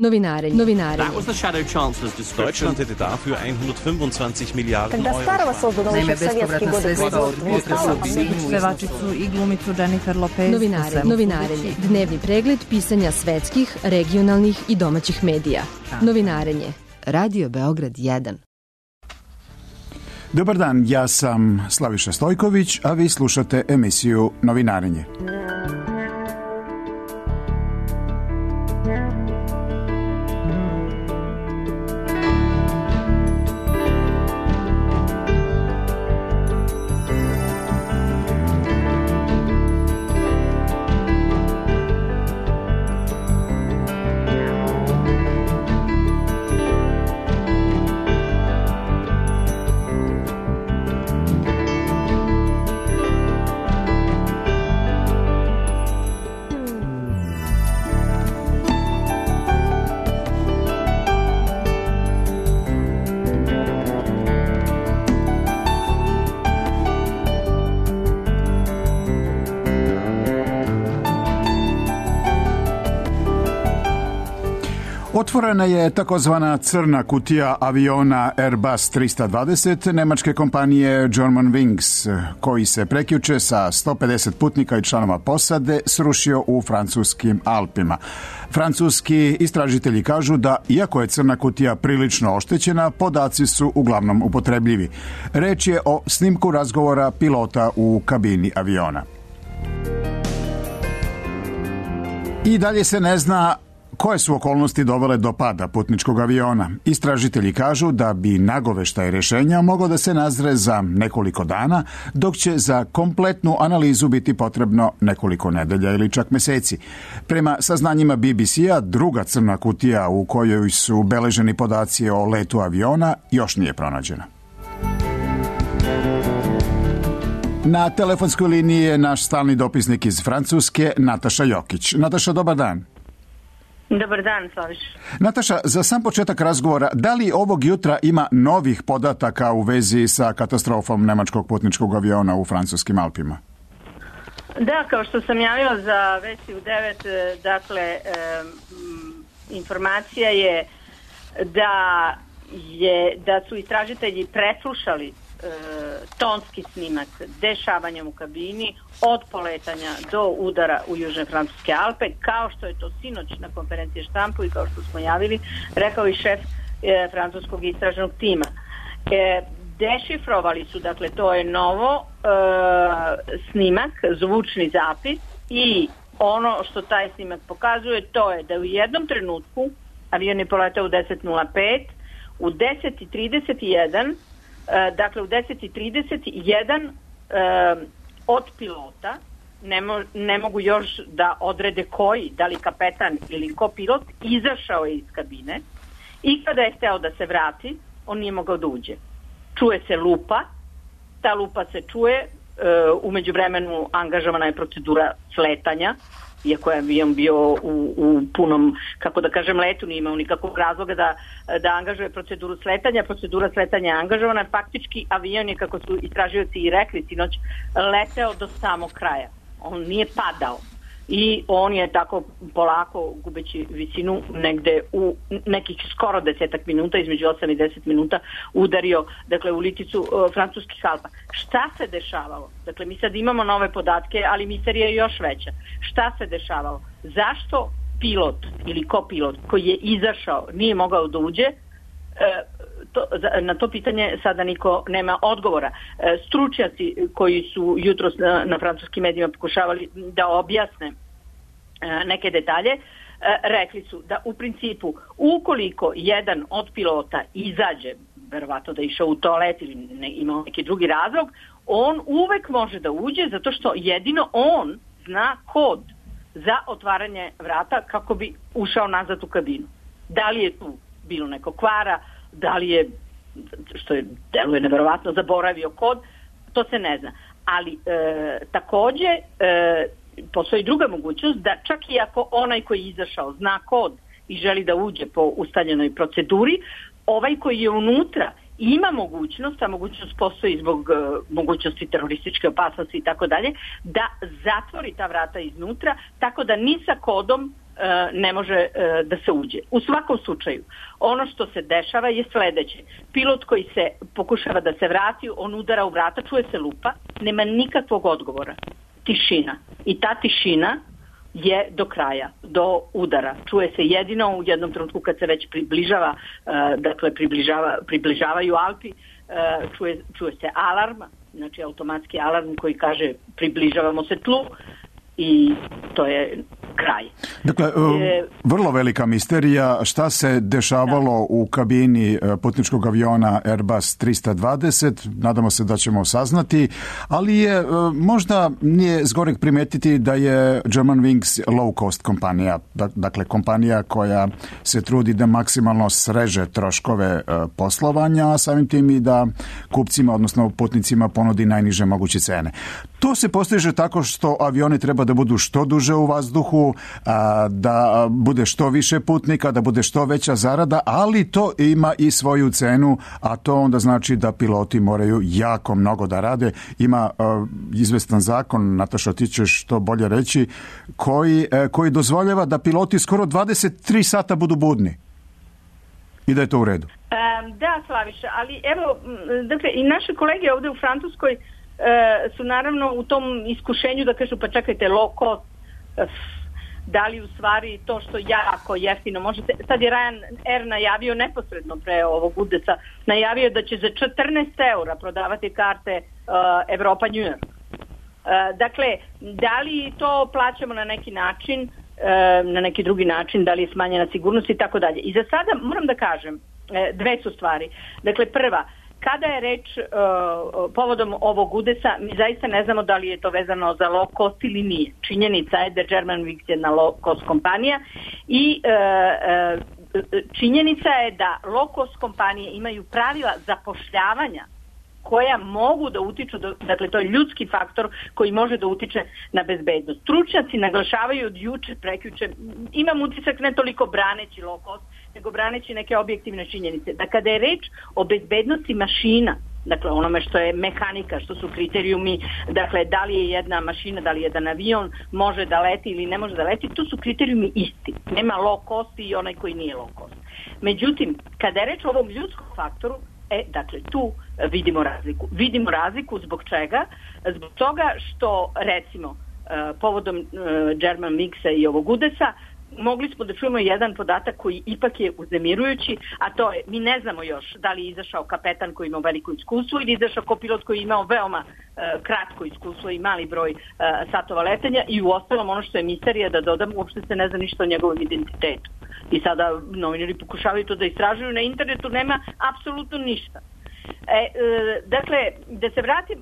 Novinarenje. That was the Shadow Chancellor's description. Deutschland hätte dafür 125 Miliarden Когда Euro. старого создано еще в советские годы производства, pevačicu i glumicu Jennifer Lopez. Novinarenje. Dnevni pregled pisanja svetskih, regionalnih i domaćih medija. Novinarenje. Radio Beograd 1. Dobar dan, ja sam Slaviša Stojković, a vi slušate emisiju Novinarenje. Otvorena je takozvana crna kutija aviona Airbus 320 nemačke kompanije Germanwings, koji se prekjuče sa 150 putnika i članova posade srušio u francuskim Alpima. Francuski istražitelji kažu da, iako je crna kutija prilično oštećena, podaci su uglavnom upotrebljivi. Reč je o snimku razgovora pilota u kabini aviona. I dalje se ne zna koje su okolnosti dovele do pada putničkog aviona. Istražitelji kažu da bi nagoveštaj rješenja moglo da se nazre za nekoliko dana, dok će za kompletnu analizu biti potrebno nekoliko nedelja ili čak meseci. Prema saznanjima BBC-a, druga crna kutija u kojoj su beleženi podaci o letu aviona još nije pronađena. Na telefonskoj liniji je naš stalni dopisnik iz Francuske, Nataša Jokić. Nataša, dobar dan. Dobar dan, Slaviš. Nataša, za sam početak razgovora, da li ovog jutra ima novih podataka u vezi sa katastrofom nemačkog putničkog aviona u francuskim Alpima? Da, kao što sam javila za vesti u 9, dakle, informacija je da su istražitelji preslušali tonski snimak dešavanja u kabini od poletanja do udara u južne francuske Alpe, kao što je to sinoć na konferenciji štampu i kao što smo javili, rekao i šef francuskog istražnog tima. Dešifrovali su, dakle, to je novo snimak, zvučni zapis, i ono što taj snimak pokazuje, to je da u jednom trenutku avion je poletao u 10:05, u 10:31, dakle u 10:31 od pilota, ne mogu još da odrede koji, da li kapetan ili kopilot, izašao je iz kabine i kada je hteo da se vrati, on nije mogao da uđe. Čuje se lupa, ta lupa se čuje, u međuvremenu angažovana je procedura sletanja, iako je avion bio u punom, kako da kažem, letu, nije imao nikakvog razloga da angažuje proceduru sletanja. Procedura sletanja je angažovana, faktički avion je, kako su istražioci i rekli sinoć, leteo do samog kraja. On nije padao i on je tako polako, gubeći visinu, negde u nekih skoro 10 minuta, između 8 i 10 minuta, udario, dakle, u liticu francuskih Alpa. Šta se dešavalo? Dakle, mi sad imamo nove podatke, ali misterija je još veća. Šta se dešavalo? Zašto pilot ili kopilot koji je izašao nije mogao da uđe? Na to pitanje sada niko nema odgovora. Stručnjaci koji su jutros na francuskim medijima pokušavali da objasne neke detalje, rekli su da u principu ukoliko jedan od pilota izađe, verovatno da je išao u toalet ili imao neki drugi razlog, on uvek može da uđe zato što jedino on zna kod za otvaranje vrata kako bi ušao nazad u kabinu. Da li je tu bilo neko kvara, da li je, što je deluje neverovatno, zaboravio kod, to se ne zna. Ali takođe postoji druga mogućnost da čak i ako onaj koji je izašao zna kod i želi da uđe po ustaljenoj proceduri, ovaj koji je unutra ima mogućnost, a mogućnost postoji zbog mogućnosti terorističke opasnosti i tako dalje, da zatvori ta vrata iznutra, tako da ni sa kodom ne može da se uđe. U svakom slučaju, ono što se dešava je sledeće. Pilot koji se pokušava da se vrati, on udara u vrata, čuje se lupa, nema nikakvog odgovora. Tišina. I ta tišina je do kraja, do udara. Čuje se jedino u jednom trenutku kad se već približava, dakle približavaju Alpi, čuje se alarm, znači automatski alarm koji kaže približavamo se tlu i to je kraj. Dakle, vrlo velika misterija šta se dešavalo u kabini putničkog aviona Airbus 320, nadamo se da ćemo saznati, ali je možda nije zgoreg primetiti da je Germanwings low cost kompanija, dakle kompanija koja se trudi da maksimalno sreže troškove poslovanja, a samim tim i da kupcima, odnosno putnicima ponudi najniže moguće cene. To se postiže tako što avioni treba da budu što duže u vazduhu, da bude što više putnika, da bude što veća zarada, ali to ima i svoju cenu, a to onda znači da piloti moraju jako mnogo da rade. Ima izvestan zakon, Nataša, ti ćeš to bolje reći, koji dozvoljava da piloti skoro 23 sata budu budni i da je to u redu. Da, Slaviša, ali evo, dakle, i naše kolege ovde u Francuskoj su naravno u tom iskušenju da kažu pa čekajte, low cost, da li u stvari to što jako jeftino možete, sad je Ryanair najavio neposredno pre ovog udesa, najavio da će za 14 eura prodavati karte Evropa-New York. Dakle, da li to plaćamo na neki način, na neki drugi način, da li je smanjena sigurnost i tako dalje. I za sada moram da kažem, dve su stvari. Dakle, prva, kada je reč povodom ovog udesa, mi zaista ne znamo da li je to vezano za low cost ili nije. Činjenica je da Germanwings je jedna low cost kompanija i činjenica je da low cost kompanije imaju pravila zapošljavanja koja mogu da utiču, dakle to je ljudski faktor koji može da utiče na bezbednost. Stručnjaci naglašavaju od juče, prekjuče, imam utisak ne toliko braneći low cost, nego braneći neke objektivne činjenice. Da kada je reč o bezbednosti mašina, dakle onome što je mehanika, što su kriterijumi, dakle da li je jedna mašina, da li je jedan avion može da leti ili ne može da leti, to su kriterijumi isti. Nema low cost i onaj koji nije low cost. Međutim, kada je reč o ovom ljudskom faktoru, dakle tu vidimo razliku. Vidimo razliku zbog čega? Zbog toga što, recimo, povodom Germanwingsa i ovog udesa, mogli smo da čujemo jedan podatak koji ipak je uznemirujući, a to je, mi ne znamo još da li je izašao kapetan koji imao veliko iskustvo ili izašao kopilot koji imao veoma kratko iskustvo i mali broj satova letenja i u ostalom ono što je misterija, da dodam, uopšte se ne zna ništa o njegovom identitetu. I sada novinari pokušavaju to da istražuju, na internetu nema apsolutno ništa. Dakle, da se vratim,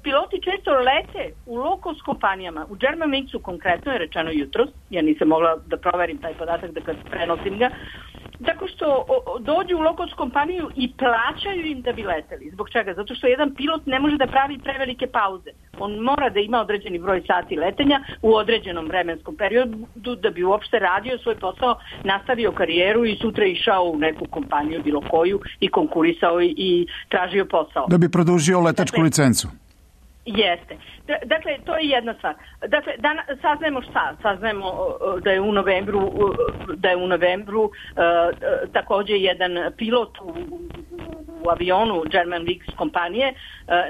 piloti često lete u low cost kompanijama, u Germanwingsu konkretno je rečeno jutros, ja nisam mogla da proverim taj podatak da kad prenosim ga, tako što dođu u low cost kompaniju i plaćaju im da bi leteli. Zbog čega? Zato što jedan pilot ne može da pravi prevelike pauze. On mora da ima određeni broj sati letenja u određenom vremenskom periodu da bi uopšte radio svoj posao, nastavio karijeru i sutra išao u neku kompaniju, bilo koju, i konkurisao i tražio posao. Da bi produžio letačku licencu. Jeste. Dakle, to je jedna stvar. Dakle, saznajemo šta? Saznajemo da je u novembru takođe jedan pilot u avionu Germanwings kompanije,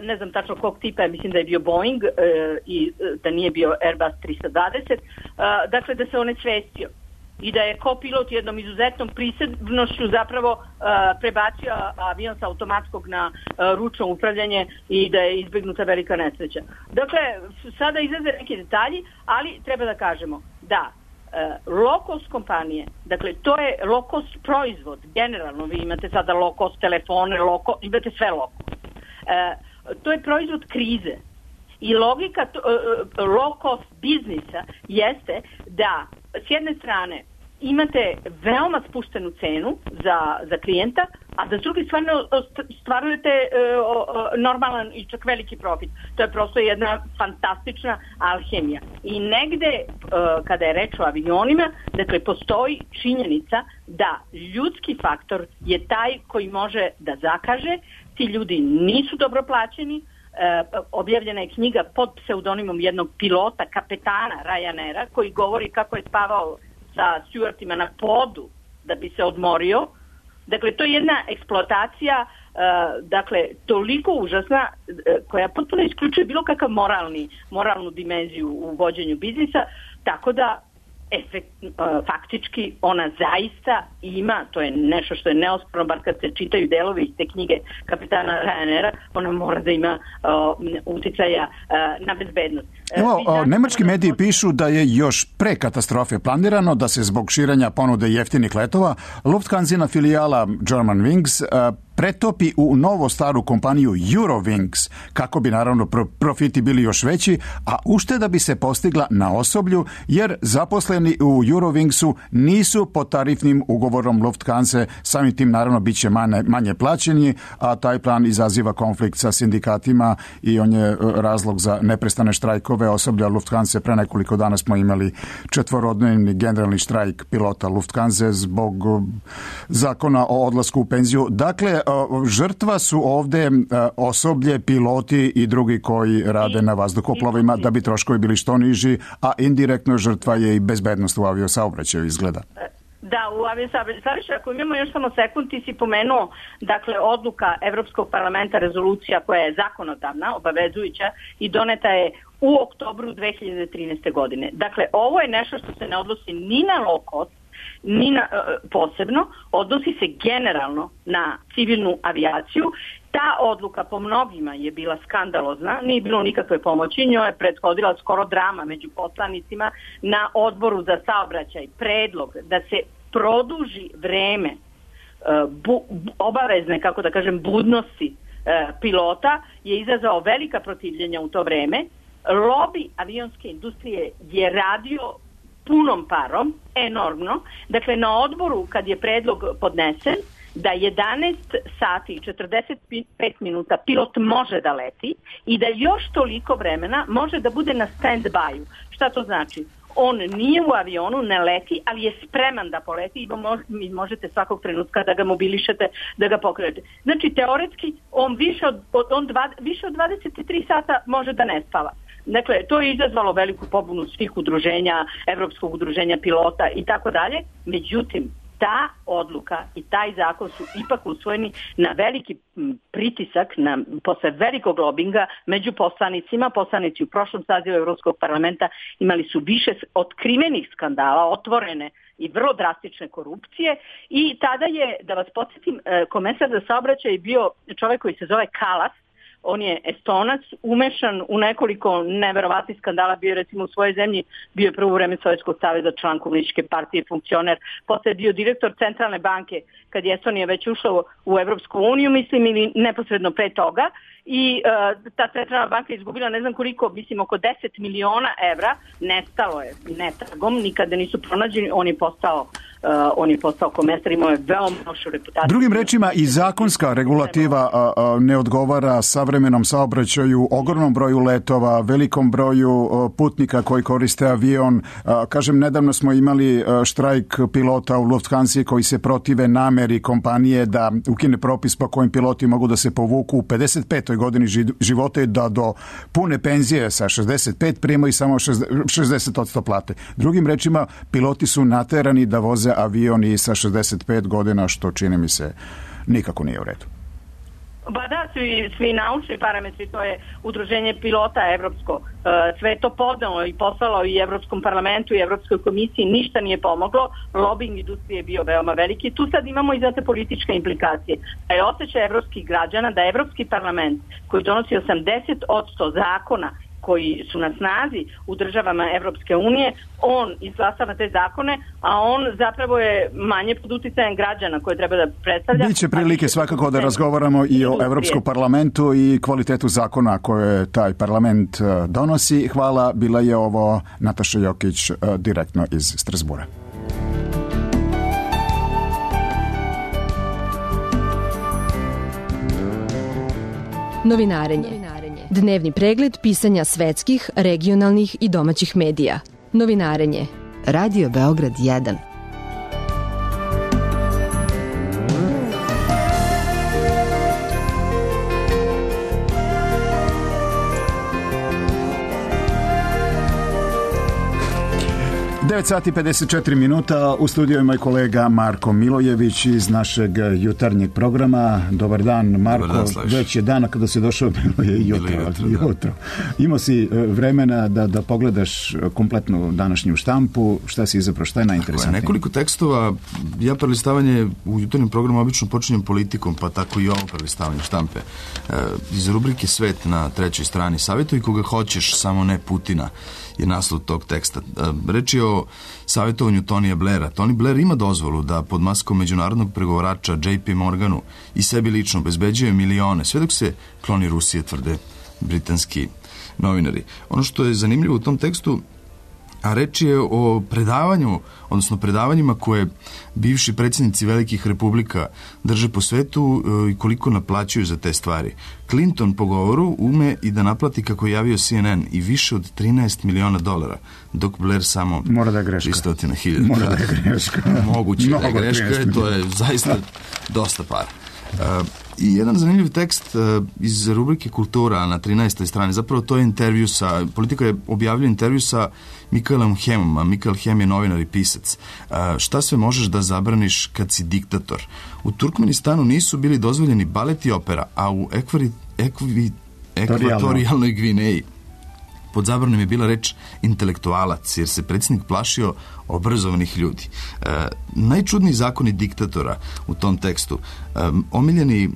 ne znam tačno kog tipa, mislim da je bio Boeing i da nije bio Airbus 320, dakle da se on svestio i da je kopilot jednom izuzetnom prisebnošću zapravo prebacio avion sa automatskog na ručno upravljanje i da je izbegnuta velika nesreća. Dakle, sada izlaze neki detalji, ali treba da kažemo da low cost kompanije, dakle to je low cost proizvod, generalno vi imate sada low cost telefone, imate sve low cost. To je proizvod krize. I logika low cost biznisa jeste da s jedne strane imate veoma spuštenu cenu za klijenta, a da s druge strane stvarujete normalan i čak veliki profit. To je prosto jedna fantastična alhemija. I negde, kada je reč o avionima, dakle, postoji činjenica da ljudski faktor je taj koji može da zakaže. Ti ljudi nisu dobro plaćeni. Objavljena je knjiga pod pseudonimom jednog pilota, kapetana Ryanaira, koji govori kako je spavao sa stjuartima na podu da bi se odmorio. Dakle, to je jedna eksploatacija, dakle, toliko užasna, koja potpuno isključuje bilo kakav moralnu dimenziju u vođenju biznisa, tako da faktički ona zaista ima, to je nešto što je neosporno, bar kad se čitaju delovi iz te knjige kapetana Ryanaira, ona mora da ima uticaja na bezbednost. Evo, nemački mediji pišu da je još pre katastrofe planirano da se zbog širenja ponude jeftinih letova Lufthansina filijala Germanwings pretopi u novo staru kompaniju Eurowings, kako bi naravno profiti bili još veći, a ušteda bi se postigla na osoblju, jer zaposleni u Eurowingsu nisu pod tarifnim ugovorom Lufthansa, samim tim naravno bit će manje plaćeni, a taj plan izaziva konflikt sa sindikatima i on je razlog za neprestane štrajkove osoblja Lufthansa. Pre nekoliko dana smo imali 4-dnevni generalni štrajk pilota Lufthansa zbog zakona o odlasku u penziju. Dakle, žrtva su ovde osoblje, piloti i drugi koji rade na vazduhoplovima da bi troškovi bili što niži, a indirektno žrtva je i bezbednost u aviosaobraćaju, izgleda. Da, u aviosaobraćaju, ako imamo još samo sekund, ti si pomenuo, dakle, odluka Evropskog parlamenta, rezolucija koja je zakonodavna, obavezujuća i doneta je u oktobru 2013. godine. Dakle, ovo je nešto što se ne odnosi ni na low cost, ni na, posebno, odnosi se generalno na civilnu avijaciju. Ta odluka po mnogima je bila skandalozna, nije bilo nikakve pomoći, njoj je prethodila skoro drama među poslanicima na odboru za saobraćaj. Predlog da se produži vreme obavezne, kako da kažem, budnosti pilota je izazvao velika protivljenja u to vreme. Lobby avionske industrije je radio punom parom, enormno. Dakle, na odboru kad je predlog podnesen, da 11 sati i 45 minuta pilot može da leti i da još toliko vremena može da bude na stand-by-u. Šta to znači? On nije u avionu, ne leti, ali je spreman da poleti i možete svakog trenutka da ga mobilišete, da ga pokrenete. Znači, teoretski, on više od 23 sata može da ne spava. Dakle, to je izazvalo veliku pobunu svih udruženja, Evropskog udruženja pilota i tako dalje. Međutim, ta odluka i taj zakon su ipak usvojeni na veliki pritisak, posle velikog lobinga među poslanicima. Poslanici u prošlom sazivu Evropskog parlamenta imali su više otkrivenih skandala, otvorene i vrlo drastične korupcije i tada je, da vas podsjetim, komesar za saobraćaj bio čovjek koji se zove Kalas. On je Estonac, umešan u nekoliko neverovatnih skandala, bio je recimo u svojoj zemlji, bio je prvo vreme Sovjetskog saveza, član komunističke partije, funkcioner, posle je bio direktor centralne banke kad je Estonija već ušla u Evropsku uniju, mislim, ili neposredno pre toga. I ta centralna banka je izgubila ne znam koliko, mislim oko 10 miliona evra, nestalo je netragom, nikada nisu pronađeni, on je postao komesar, imao je veoma lošu reputaciju. Drugim rečima, i zakonska regulativa ne odgovara savremenom saobraćaju, ogromnom broju letova, velikom broju putnika koji koriste avion. Kažem, nedavno smo imali štrajk pilota u Lufthansi koji se protive nameri kompanije da ukine propis po kojim piloti mogu da se povuku u 55. godini života i da do pune penzije sa 65 primaju samo 60% plate. Drugim rečima, piloti su naterani da voze avion i sa 65 godina, što čini mi se nikako nije u redu. Ba da, svi naučni parametri, to je udruženje pilota evropsko, sve to podnalo i poslalo i Evropskom parlamentu i Evropskoj komisiji, ništa nije pomoglo, lobbying industrije je bio veoma veliki. Tu sad imamo i znate političke implikacije. Da je osjećaj evropskih građana da Evropski parlament koji donosi 80% zakona koji su na snazi u državama Evropske unije, on izglasava te zakone, a on zapravo je manje pod uticajem građana koje treba da predstavlja. Biće prilike svakako da razgovaramo i o Evropskom parlamentu i kvalitetu zakona koje taj parlament donosi. Hvala, bila je ovo Nataša Jokić direktno iz Strasbura. Novinarenje. Dnevni pregled pisanja svetskih, regionalnih i domaćih medija. Novinarenje. Radio Beograd 1. 9 sati 54 minuta, u studiju je moj kolega Marko Milojević iz našeg jutarnjeg programa. Dobar dan, Marko. Dobar dan, već je dana kada si došao, bilo je jutro. Imao si vremena da pogledaš kompletnu današnju štampu. Šta si izabrao, šta je najinteresantnije? Nekoliko tekstova. Ja prelistavanje u jutarnjem programu obično počinjem politikom, pa tako i ovo prelistavanje štampe. Iz rubrike Svet na 3. strani: savjetuj koga hoćeš, samo ne Putina, je naslov tog teksta. Reč je o savjetovanju Tonija Blaira. Tony Blair ima dozvolu da pod maskom međunarodnog pregovarača JP Morganu i sebi lično obezbeđuje milione, sve dok se kloni Rusije, tvrde britanski novinari. Ono što je zanimljivo u tom tekstu, a reč je o predavanju, odnosno predavanjima koje bivši predsjednici velikih republika drže po svetu i koliko naplaćuju za te stvari. Clinton po govoru ume i da naplati, kako je javio CNN, i više od $13 miliona, dok Blair samo 300.000. Mora da je greška. Moguće da je greška, to je zaista dosta para. I jedan zanimljiv tekst iz rubrike Kultura na 13. strani, zapravo to je intervju sa, Politika je objavila intervju sa Mikaelom Hemom, a Mikael Hem je novinar i pisac. Šta sve možeš da zabraniš kad si diktator? U Turkmenistanu nisu bili dozvoljeni balet i opera, a u ekvatorijalnoj Gvineji pod zabranom je bila reč intelektualac, jer se predsjednik plašio obrazovanih ljudi. Najčudniji zakoni diktatora u tom tekstu. Omiljeni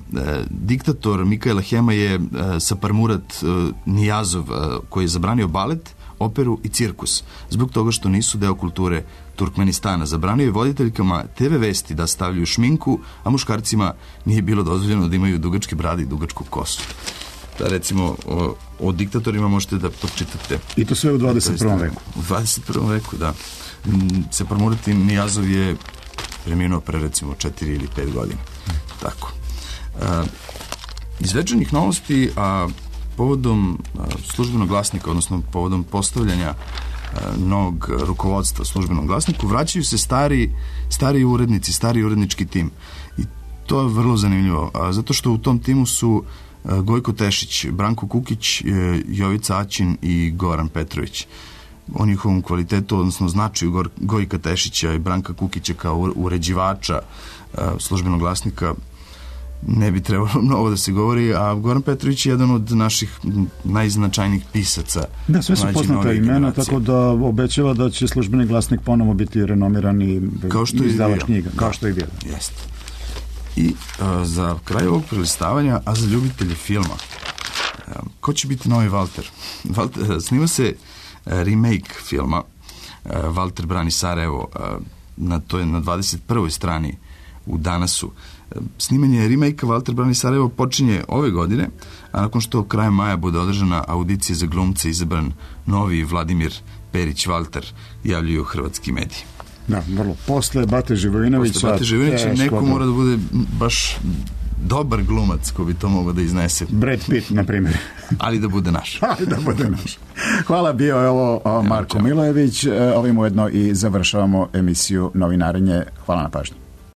diktator Mikaela Hema je Saparmurat Nijazov, koji je zabranio balet, operu i cirkus, zbog toga što nisu deo kulture Turkmenistana. Zabranio je voditeljkama TV vesti da stavljaju šminku, a muškarcima nije bilo dozvoljeno da imaju dugačke brade i dugačku kosu. Da, recimo, o diktatorima možete da pročitate. I to sve u 21. veku. U 21. veku, da. Saparmurat Nijazov je preminuo pre, recimo, 4 ili 5 godina. Tako. Iz večernjih novosti, a povodom službenog glasnika, odnosno povodom postavljanja novog rukovodstva službenom glasniku, vraćaju se stari urednici, stari urednički tim. I to je vrlo zanimljivo, zato što u tom timu su Gojko Tešić, Branko Kukić, Jovica Aćin i Goran Petrović. O njihovom kvalitetu, odnosno značaju Gojka Tešića i Branka Kukića kao uređivača službenog glasnika ne bi trebalo mnogo da se govori, a Goran Petrović je jedan od naših najznačajnijih pisaca. Da, sve su poznata imena, tako da obećava da će službeni glasnik ponovo biti renomiran i izdavač knjiga, kao što je bio. Jeste. I za kraj ovog prelistavanja, a za ljubitelje filma, ko će biti novi Valter? Snima se remake filma Valter brani Sarajevo, to je na 21. strani u Danasu. Snimanje remake-a Valter brani Sarajevo počinje ove godine, a nakon što krajem maja bude održana audicija za glumce, izabran novi Vladimir Perić Valter, javljaju hrvatski mediji. Da, vrlo. Posle Bate Živojinovića neko mora da bude baš dobar glumac ko bi to mogao da iznese. Brad Pitt, na primjer. Ali da bude naš. Hvala, bio je ovo Marko Milojević. Ovim ujedno i završavamo emisiju Novinarenje. Hvala na pažnju.